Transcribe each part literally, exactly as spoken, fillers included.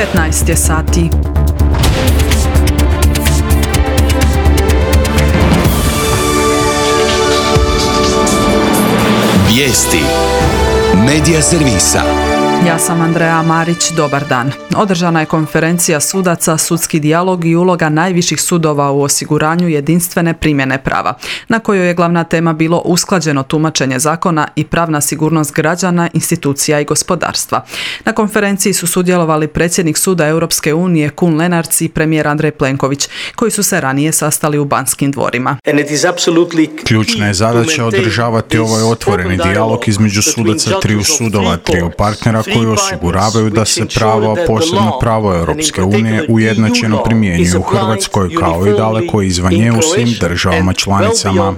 petnaest je sati. Vijesti Medija servisa. Ja sam Andreja Marić, dobar dan. Održana je konferencija sudaca, sudski dijalog i uloga najviših sudova u osiguranju jedinstvene primjene prava, na kojoj je glavna tema bilo usklađeno tumačenje zakona i pravna sigurnost građana, institucija i gospodarstva. Na konferenciji su sudjelovali predsjednik Suda Europske unije Kun Lenarts i premijer Andrej Plenković, koji su se ranije sastali u Banskim dvorima. Ključna je zadaća održavati ovaj otvoreni dijalog između sudaca triju sudova, triju partnera koji osiguravaju da se pravo, posebno pravo Europske unije, ujednačeno primjenjuje u Hrvatskoj kao i daleko izvan nje u svim državama članicama.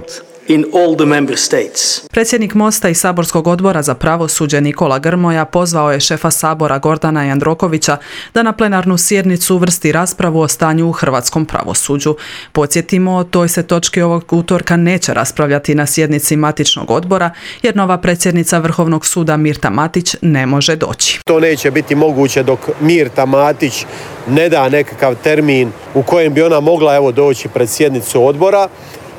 Predsjednik Mosta i saborskog odbora za pravosuđe Nikola Grmoja pozvao je šefa Sabora Gordana Jandrokovića da na plenarnu sjednicu uvrsti raspravu o stanju u hrvatskom pravosuđu. Podsjetimo, o toj se točki ovog utorka neće raspravljati na sjednici matičnog odbora, jer nova predsjednica Vrhovnog suda Mirta Matić ne može doći. To neće biti moguće dok Mirta Matić ne da nekakav termin u kojem bi ona mogla evo doći pred sjednicu odbora.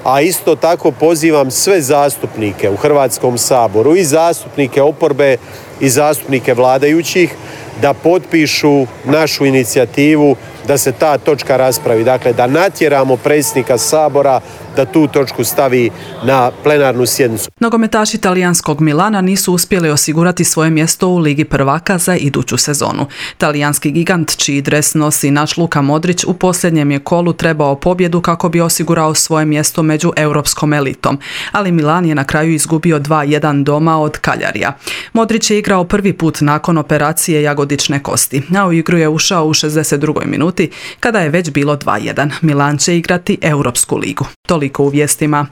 A isto tako pozivam sve zastupnike u Hrvatskom saboru, i zastupnike oporbe i zastupnike vladajućih, da potpišu našu inicijativu da se ta točka raspravi. Dakle, da natjeramo predsjednika Sabora da tu točku stavi na plenarnu sjednicu. Nogometaši talijanskog Milana nisu uspjeli osigurati svoje mjesto u Ligi prvaka za iduću sezonu. Talijanski gigant, čiji dres nosi naš Luka Modrić, u posljednjem je kolu trebao pobjedu kako bi osigurao svoje mjesto među europskom elitom. Ali Milan je na kraju izgubio dva jedan doma od Kaljarija. Modrić je igrao prvi put nakon operacije jagodične kosti, a u igru je ušao u šezdeset drugoj minuti kada je već bilo dva jedan. Milan će igrati Europsku ligu. Toliko u vijestima.